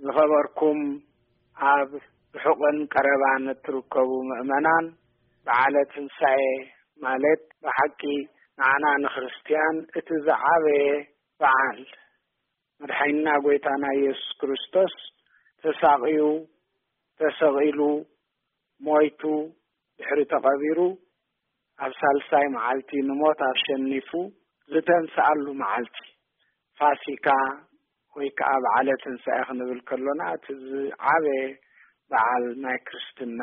ዝኸበርኩም ኣብ ርሑቕን ቀረባን እትርከቡ ምእመናን፣ በዓለ ትንሳኤ ማለት ብሓቂ ንዓና ንክርስትያን እቲ ዝዓበየ በዓል፣ መድሓኒና ጎይታና ኢየሱስ ክርስቶስ ተሳቕዩ፣ ተሰቒሉ፣ ሞይቱ፣ ድሕሪ ተቐቢሩ፣ ኣብ ሳልሳይ መዓልቲ ንሞት ኣሸኒፉ ዝተንስኣሉ መዓልቲ ፋሲካ ወይ ከዓ በዓለ ትንሳኤ ክንብል ከሎና፣ እቲ ዝዓበየ በዓል ናይ ክርስትና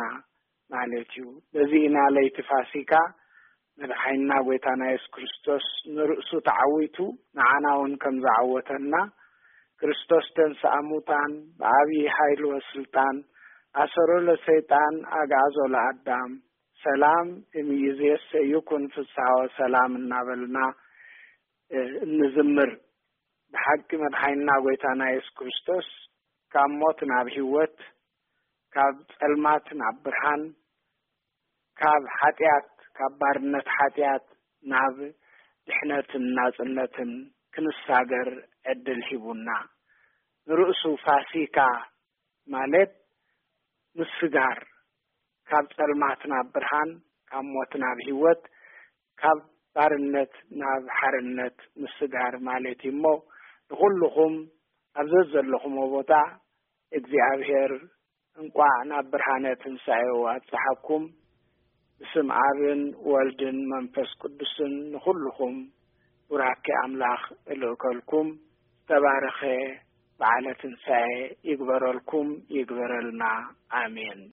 ማለት እዩ። በዚ ኢና ለይቲ ፋሲካ መድሓኒና ጎይታና የሱስ ክርስቶስ ንርእሱ ተዓዊቱ ንዓና እውን ከም ዝዓወተና፣ ክርስቶስ ተንስኣ ሙታን ብዓብዪ ሓይሊ ወስልጣን ኣሰሮ ለሰይጣን ኣግዓዞ ለኣዳም ሰላም እምይእዜሰ ይኩን ፍስሓ ወሰላም እናበልና፣ እ፣ እንዝምር። ብሓቂ መድሓኒና ጎይታና የሱስ ክርስቶስ ካብ ሞት ናብ ህይወት፣ ካብ ጸልማት ናብ ብርሃን፣ ካብ ሓጢኣት፣ ካብ ባርነት ሓጢኣት ናብ ድሕነትን ናጽነትን ክንሳገር ዕድል ሂቡና። ንርእሱ ፋሲካ ማለት ምስጋር፣ ካብ ጸልማት ናብ ብርሃን፣ ካብ ሞት ናብ ህይወት፣ ካብ ባርነት ናብ ሓርነት ምስጋር ማለት እዩ እሞ፣ ንኹልኹም ኣብ ዘዘለኹምዎ ቦታ እግዚኣብሔር እንቋዕ ናብ ብርሃነ ትንሳኤኡ ኣብጽሓኩም። ብስም ኣብን ወልድን መንፈስ ቅዱስን ንኹልኹም ቡራኬ ኣምላኽ እልእከልኩም። ዝተባረኸ በዓለ ትንሳኤ ይግበረልኩም፣ ይግበረልና። ኣሜን።